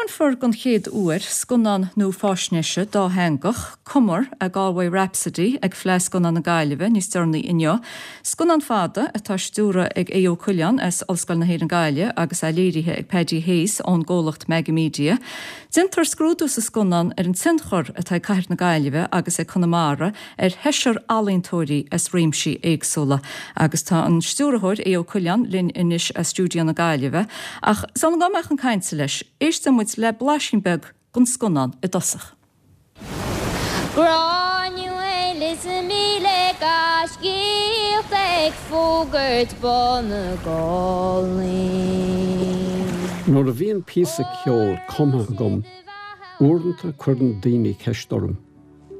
Taispeánfar don chéad uair scannán nuafháisnéise dátheangach, Cumar, A Galway Rhapsody, ag Fleadh Scannán na Gaillimhe níos deireanaí inniu. Scannán fada atá á stiúradh ag Aodh Ó Coileáin as Ollscoil na hÉireann Gaillimh agus é léirithe ag Paddy Hayes ón gcomhlacht Megamedia. Déantar scrúdú sa scannán ar an tionchar atá ag cathair na Gaillimhe agus ag Conamara ar sheisear ealaíontóirí as réimsí éagsúla. Agus tá an stiúrthóir, Aodh Ó Coileáin, linn anois as stiúideo na Gaillimhe. Ach sula ngabhfaidh mé chun cainte leis, éistfidh muid le blaisín beag den scannán i dtosach. Gráinneal is 1000 gaiscíoch ag fógairt bá na gcálaí. Nuair a bhíonn píosa ceoil cumtha agam, uaireanta cuireann daoine ceist orm,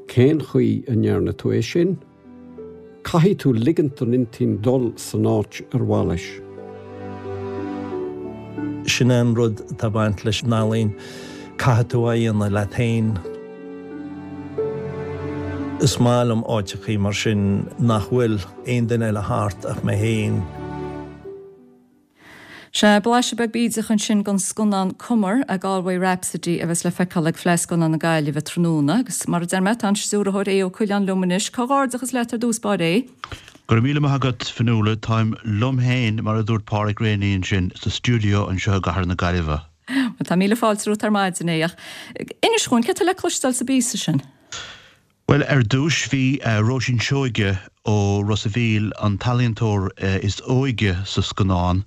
'Cén chaoi a ndearna tú é sin? Caithfidh tú ligint don intinn dul san áit ar mhaith leis. Sin é an rud atá ag baint leis an ealaín, caithfidh tú é a dhéanamh leat féin. Is maith liom áiteachaí mar sin nach bhfuil aon duine eile thart ach mé féin. Sea, blaiseadh beag bídeach ansin den scannán Cumar, A Galway Rhapsody a bheas le feiceáil ag Fleadh Scannán na Gaillimhe tráthnóna. Agus mar a deir mé, tá an stiúrthóir Aodh Ó Coileáin liom anois. Comhghairdeachas leat ar dtús báire, a Aodh. Go raibh míle maith agat, Fionnuala. Táim liom féin, mar a dúirt Páraic Reaney ansin, sa stiúideo anseo i gcathair na Gaillimhe. Bhuel, tá míle fáilte romhat ar maidin, a Aodh. Ach inis dhúinn, céard tá le cloisteáil sa bpíosa sin? Bhuel, ar dtúis, bhí Róisín Seoige ó Ros a' Mhíl, an t-ealaíontóir is óige sa scannán,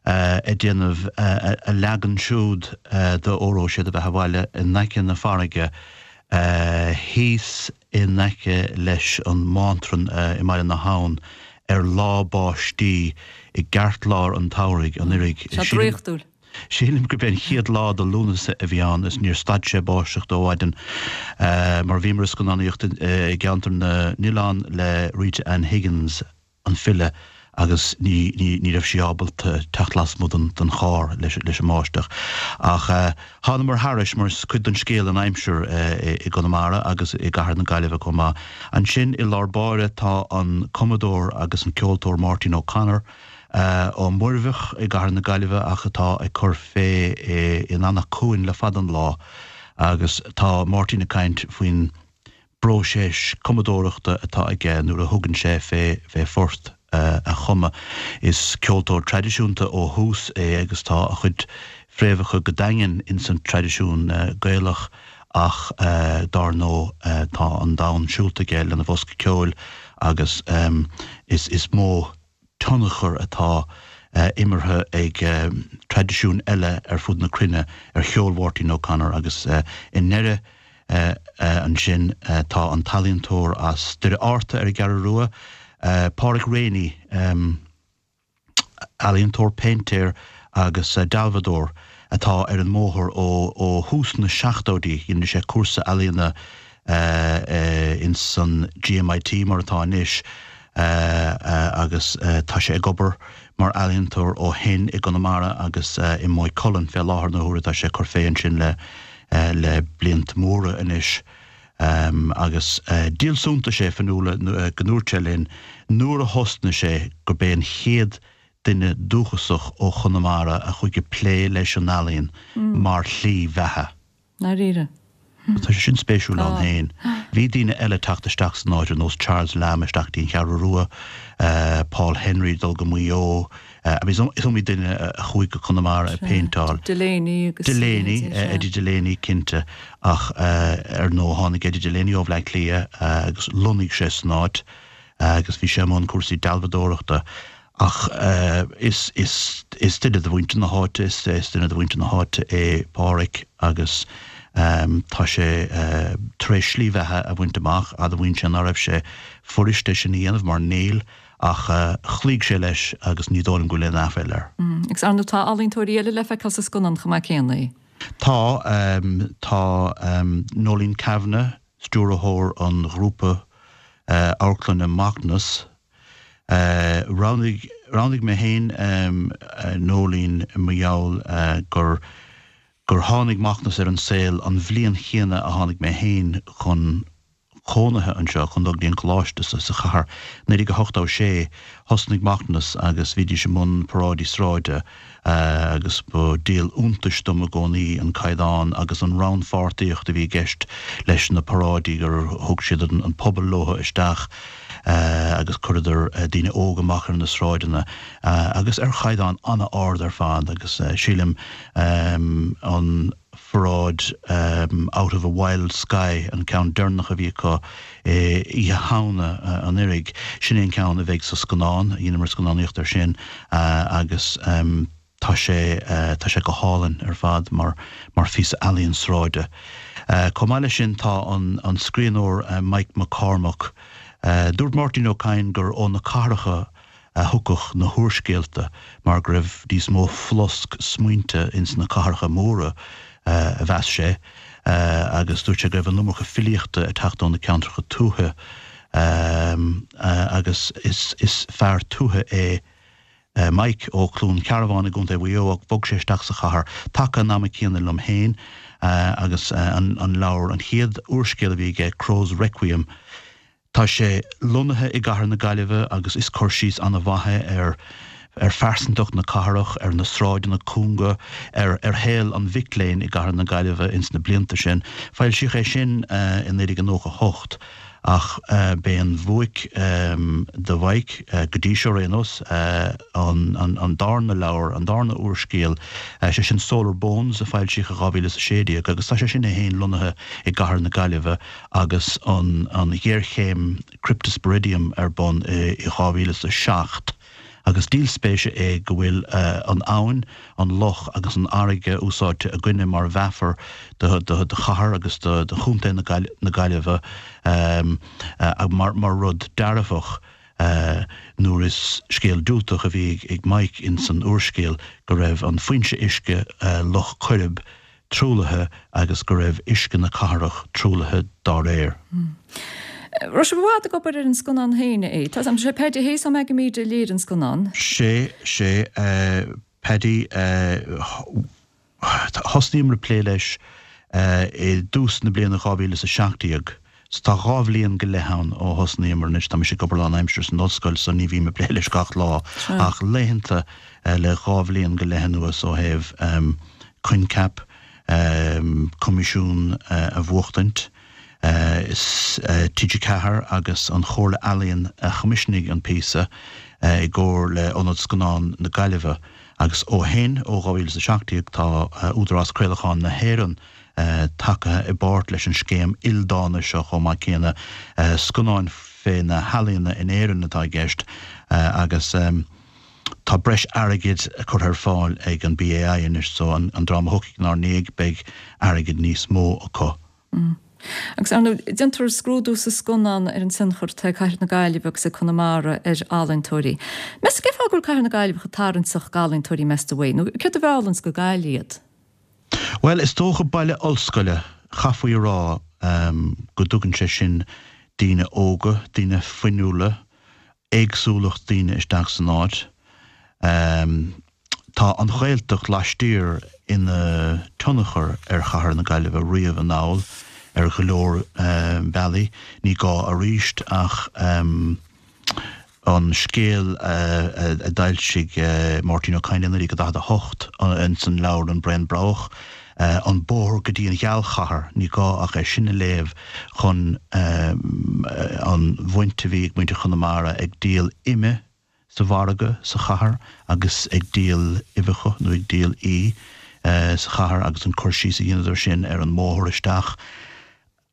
ag déanamh a leagan siúd de Óró Sé do Bheatha 'Bhaile in aice na farraige, thíos in aice leis an mBántrainn i mBaile na hAbhann ar lá báistí i gceartlár an tsamhraidh anuraidh. Tá draíochtúil. Sílim gurb é an chéad lá de Lúnasa a bhí ann is níor stad sé báisteach ó mhaidin mar bhíomar ag scannánaíocht i gCeantar na nOileán le Rita Ann Higgins, an file, agus ní ní raibh sí ábalta teacht lasmuigh den charr leis an mbáisteach. Ach thánamar thairis mar is cuid den scéal an aimsir i gConamara agus i gcathair na Gaillimhe chomh maith. Ansin i lár báire tá an cumadóir agus an ceoltóir Máirtín O'Connor, Ó Muirbheach i gcathair na Gaillimhe ach atá ag cur fé in Anach Cuain le fada an lá agus tá Máirtín ag caint faoin bpróiseas cumadóireachta atá aige nuair a thugann sé fé fé phort a chumadh. Is ceoltóir traidisiúnta ó thús é agus tá a chuid fréamhacha go daingean ins an traidisiún Gaelach ach dár ndóigh tá an domhan siúlta aige lena bhosca ceoil agus is is mó tionchar atá imeartha ag traidisiúin eile ar fud na cruinne ar cheol Mháirtín O'Connor agus i ndeireadh ansin tá an t-ealaíontóir as Doire Fhearta ar an gCeathrú Rua, Páraic Reaney, ealaíontóir, péintéir agus dealbhadóir atá ar an mbóthar ó thús na seachtóidí. Dhein sé cúrsa ealaíona ins an GMIT mar atá anois agus tá sé ag obair mar ealaíontóir ó shin i gConamara agus i Maigh Cuilinn fé láthair na huaire. Tá sé ag cur fé ansin le le blianta móra anois agus díol suntais é Fionnuala go ndúirt sé linn nuair a thosnaigh sé gurb é an chéad duine dúchasach ó Chonamara a chuaigh ag plé leis an ealaíon mar shlí bheatha. ndáiríre. Tá sé sin spéisiúil ann féin. Bhí daoine eile ag teacht isteach san áit ar nós Charles Lamb isteach dtí an Cheathrú Rua, Paul Henry ag dul go Maigh Eo, I mean is iomaí duine a chuaigh go Conamara ag péinteáil. Delaney agus. Delaney, Eddie Delaney cinnte ach ar ndóigh tháinig Eddie Delaney ó Bhleá Cliath agus lonnaigh sé san áit agus bhí sé i mbun cúrsaí dealbhadóireachta. Ach is is duine de mhuintir na háite, is duine de mhuintir na háite é Páraic agus tá sé tar éis slí bheatha a bhaint amach. Admhaíonn sé ná raibh sé fuirist é sin a dhéanamh mar níl, ach chloígh sé leis agus ní dóigh liom go bhfuil aon aiféala air. Agus ar ndóigh tá ealaíontóirí eile le feiceáil sa scannán chomh maith céanna. Tá, tá Noeleen Kavanagh, stiúrthóir an ghrúpa amharclainne Macnas, Roghnaigh, roghnaigh mé féin Noeleen mar gheall gur, gur tháinig Macnas ar an saol an bhliain chéanna a tháinig mé féin chun. cónaithe anseo chun dul go dtí an coláiste sa chathair. 1986, thosnaigh Macnas agus bhídís i mbun paráidí sráide agus ba díol iontais dom i gcónaí an caighdeán agus an rannpháirtíocht a bhí i gceist leis na paráidí, gur thug siad an pobal leo isteach agus chuireadar daoine óga amach ar na sráideanna agus ar chaighdeán an-ard ar fad agus sílim an pharáid Out of a Wild Sky, an ceann deireanach a bhí acu i Oíche Shamhna anuraidh. Sin é an ceann a bheidh sa scannán, dheineamar scannánaíocht air sin agus tá sé, tá sé go hálainn ar fad mar, mar phíosa ealaíon sráide. Chomh maith leis sin tá an, an scríbhneoir Mike McCormack, dúirt Máirtín Ó Cadhain gur ó na cathracha a thiocfadh na húrscéalta mar go raibh níos mó flosc smaointe ins na cathracha móra, a mheas sé, agus dúirt sé go raibh an iomarca filíochta ag teacht ó na ceantracha tuaithe agus is fear tuaithe é Mike ó Chluain Cearbán i gContae Mhaigh Eo ach bhog sé isteach sa chathair taca an ama céanna liom féin agus an leabhar, an chéad úrscéal a bhí aige, Crow's Requiem, Tá sé lonnaithe i gcathair na Gaillimhe agus is cur síos an-mhaith é ar ar phearsantacht na cathrach, ar na sráideanna cúnga, ar ar shaol an mhic léinn i gcathair na Gaillimhe ins na blianta sin. Foilsíodh é sin i 1998 ach b'é an bhuaic do Mhike, go dtí seo ar aon nós, an an darna leabhar, an darna úrscéal, sé sin Solar Bones a foilsíodh i 2016 agus tá sé sin é féin lonnaithe i gcathair na Gaillimhe agus an ghéarchéim Cryptosporidium ar bun i 2007, agus díol spéise é go bhfuil an abhainn, an loch agus an fharraige úsáidte againne mar mheafar do chathair agus do chontae na Gaillimhe mar rud dearfach nuair is scéal diúltach a bhí ag Mike ins an úrscéal go raibh an foinse uisce, Loch Coirib, truaillithe agus go raibh uisce na cathrach truaillithe dá réir. Raibh sibh i bhfad ag obair ar an scannán féin, a Tá sé Paddy Hayes ó Megamedia a léirigh an scannán. Sé, sé, Paddy, thosnaíomar ag plé leis i dtús na bliana 2017. So tá 2 bhliain go leith ann ó thosnaíomar anois. Tá mise ag obair lánaimseartha san ollscoil so ní bhím ag plé leis gach lá ach laethanta le 2 bhliain go leith anuas ó thaobh coincheap, coimisiún a bhuachtaint. Is TG4 agus an Chomhairle Ealaíon a choimisiúnaigh an píosa i gcomhar le Ionad Scannán na Gaillimhe agus ó shin, ó 2017, tá Údarás Craolacháin na hÉireann tacaithe i bpáirt leis an scéim ildána seo chomh maith céanna. Scannáin fé na healaíona in Éirinn atá i gceist agus tá breis airgid curtha ar fáil ag an BAI anois so an dream a thiocfaidh inár ndiaidh beidh airgead níos mó acu. Agus ar ndóigh, déantar scrúdú sa scannán ar an tionchar atá ag Cathair na Gaillimhe agus ag Conamara ar ealaíontóirí. Meas tú cén fáth go bhfuil Cathair na Gaillimhe chomh tarraingteach d'ealaíontóirí meas tú é? Nó céard a mheallanns go Gaillimh iad? Bhuel, is dócha baile ollscoile, chaithfí a rá go dtugann sé sin daoine óga, daoine fuinniúla, éagsúlacht daoine isteach san áit. Tá an Ghaeltacht laistiar ina tionchar ar chathair na Gaillimhe riamh anall ar go leor bealaí. Ní gá arís ach. an scéal a d'fhoilsigh Máirtín Ó Cadhain i 1948 ins an leabhar An Braon Broghach, An Bóthar go dtí an Ghealchathair, ní gá ach é sin a léamh chun an bhaint a bhí ag muintir Chonamara ag díol ime sa mhargadh sa chathair agus ag díol uibheacha nó ag díol uí sa chathair agus an cur síos a dheineadar sin ar an mbóthar isteach.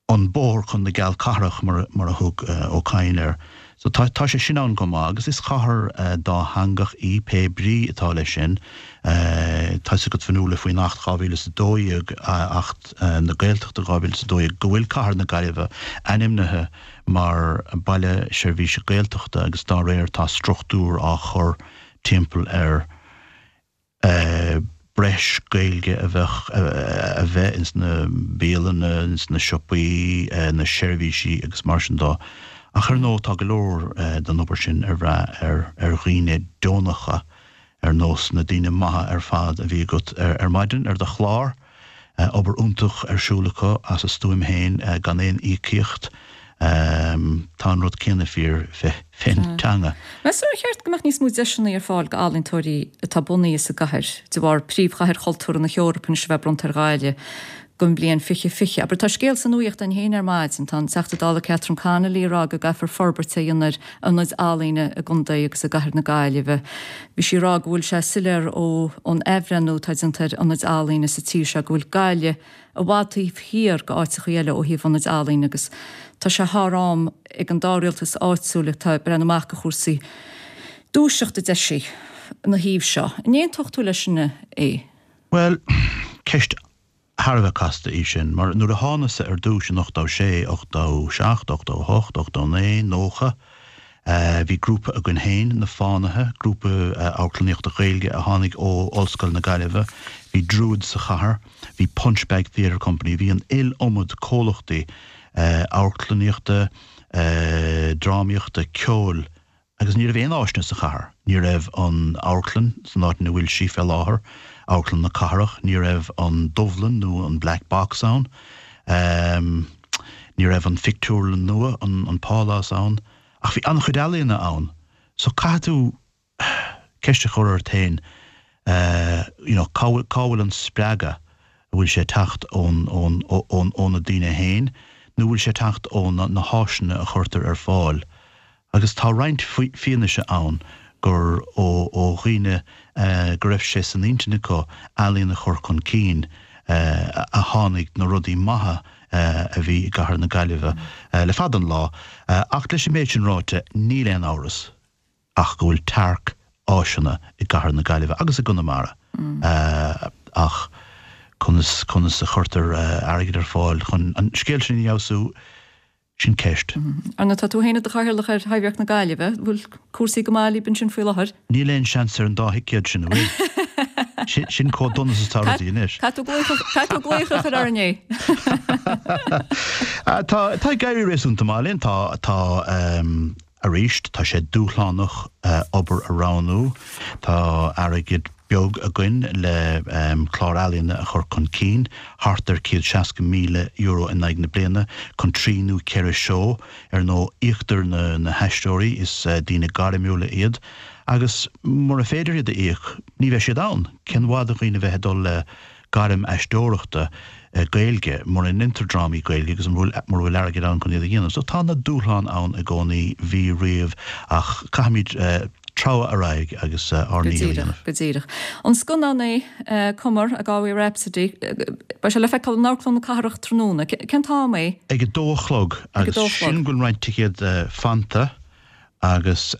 an bóthar chun na gealchathrach mar a thug Ó Cadhain air. So tá tá sé sin ann chomh maith agus is cathair dátheangach í, pé brí atá leis sin. Tá 'fhios agat Fionnuala faoin Acht 2012, Acht na Gaeltachta 2012, go bhfuil cathair na Gaillimhe ainmnithe mar Baile Seirbhíse Gaeltachta agus dá réir tá struchtúr á chur timpeall ar breis Gaeilge a bheadh a bheith ins na bialanna, ins na siopaí, na seirbhísí agus mar sin dó. Ach ar ndóigh tá go leor den obair sin ar bhrath ar ar dhaoine deonacha ar nós na daoine maithe ar fad a bhí agat ar maidin ar do chlár. Obair iontach ar siúl acu as a stuaim féin gan aon íocaíocht. Tá an rud céanna fíor fén teanga. Meas tú ar cheart go mbeadh níos mó deiseanna ar fáil d'ealaíontóirí atá bunaithe sa gcathair, de bharr Príomhchathair Chultúrtha na hEorpa anois a bheith bronnta ar Ghaillimh don bhliain 2020? Abair, tá scéal sa nuaíocht againn féin ar maidin, tá an Teachta Dála Catherine Connolly ag rá go gcaithfear forbairt a dhéanamh ar ionaid ealaíne i gcontae agus i gcathair na Gaillimhe. Bhí sí ag rá go bhfuil sé soiléir ón athbhreithniú atá déanta ar ionaid ealaíne sa tír seo go bhfuil Gaillimh i bhfad taobh thiar de áiteachaí eile ó thaobh ionaid ealaíne agus tá sé thar am ag an dá rialtas áitiúil atá ag breathnú amach do chúrsaí dúiseacht a deir sí ina thaobh seo. An aontódh tú leis sin é? Bhuel, ceist thar a bheith casta í sin, mar nuair a thánasa ar dtús in 86, 87, 88, 89, 90, Bhí grúpa againn féin, Na Fánaithe, grúpa amharclannaíochta Gaeilge a tháinig ó Ollscoil na Gaillimhe. Bhí Druid sa chathair, bhí Punchbag Theatre Company, bhí an iliomad comhlachtaí amharclannaíochta, drámaíochta, ceoil agus ní raibh aon áiseanna sa chathair. Ní raibh an amharclann san áit ina bhfuil sí fé láthair, Amharclann na Cathrach, ní raibh an Dubhlann nó an Black Box ann. Ní raibh an phictiúrlann nua, an Pálás, ann, ach bhí an-chuid ealaíona ann. So caithfidh tú ceist a chur ort féin, you know, cá bhfuil, cá bhfuil an spreagadh? An bhfuil sé ag teacht ón, ón, ón, ó na daoine féin nó an bhfuil sé ag teacht ó na, na háiseanna a chuirtear ar fáil? Agus tá roinnt fianaise ann gur ó dhaoine go raibh sé san intinn acu ealaíon a chur chun cinn a tháinig na rudaí maithe a bhí i gcathair na Gaillimhe le fada an lá. Ach leis an méid sin ráite, níl aon amhras ach go bhfuil tearc áiseanna i gcathair na Gaillimhe agus i gConamara. Ach conas, conas a chuirtear airgead ar fáil chun an scéal sin a fheabhsú? Sin ceist. Ar ndóigh, tá tú féin i do chathaoirleach ar Thaibhdhearc na Gaillimhe. An bhfuil cúrsaí go maith libh ansin faoi láthair? Níl aon seans ar an dá thicéad sin, an bhfuil? Sin chomh dona is atá rudaí anois. Caithfidh tú glaoch a chur orainn é. Tá ag éirí réasúnta maith linn. Tá, tá, arís, tá sé dúshlánach obair a roghnú. Tá airgead beag againn le clár ealaíona a chur chun cinn, thart ar €160,000 in aghaidh na bliana, chun trí nó ceithre seó. Ar ndóigh, íoctar na haisteoirí, is daoine gairmiúla iad, agus mura féidir iad a íoc, ní bheidh siad ann. Cén mhaith do dhaoine bheith ag dul le gairm aisteoireachta Gaeilge mura ndeintear drámaí Gaeilge agus mura bhfuil airgead ann chun iad a dhéanamh. So tá na dúshláin ann i gcónaí, bhí riamh, ach caithfimid treabhadh ar aghaidh agus ár ndícheall a dhéanamh. Go díreach. An scannán é Cumar, A Galway Rhapsody, beidh sé le feiceáil in Amharclann na Cathrach tráthnóna. Cén t-am é? Ag a dó a chlog agus sílim go bhfuil roinnt ticéad fanta agus.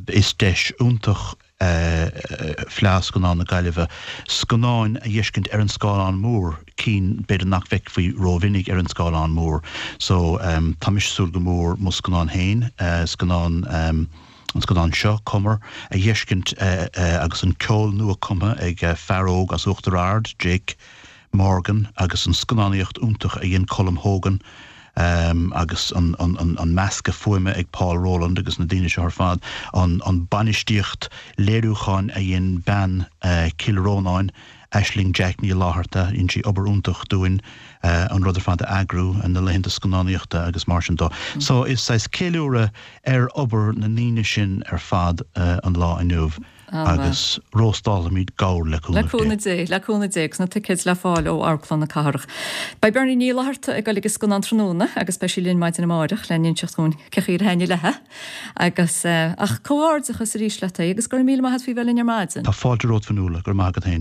Is deis iontach Fleadh Scannán na Gaillimhe scannáin a dh'fheiscint ar an scáileán mór, cinn b'fhéidir nach bhfeicfí rómhinic ar an scáileán mór. So tá mise ag súil go mór mo scannán féin, scannán, an scannán seo, Cumar, a dh'fheiscint agus an ceol nua cumtha ag fear óg as Uachtar Ard, Jake Morgan agus an scannánaíocht iontach a dhein Colm Hogan agus an meascadh fuaime ag Paul Rowland agus na daoine seo ar fad, an bainistíocht léiriúcháin a dhein bean Chill Rónáin, Aisling Jack Ní Fhlatharta, dhein sí obair iontach dúinn an rud ar fad a eagrú, na laethanta scannánaíochta agus mar sin dó. So is saghas ceiliúradh ar obair na ndaoine sin ar fad an lá inniu. Agus róstálfaimid gabhar le cúnamh Dé. Le cúnamh Dé, le cúnamh Dé, agus na ticéid le fáil ó Amharclann na Cathrach. Beidh Bernie Ní Fhlatharta ag dul ag an scannán tráthnóna agus beidh sí linn maidin amáireach le n-inseacht dhúinn cén chaoi ar thaitnigh léithe. Agus, ach comhghairdeachas arís leat é agus go raibh míle maith agat faoi bheith linn ar maidin. Tá fáilte romhat Fionnuala, go raibh maith agat féin.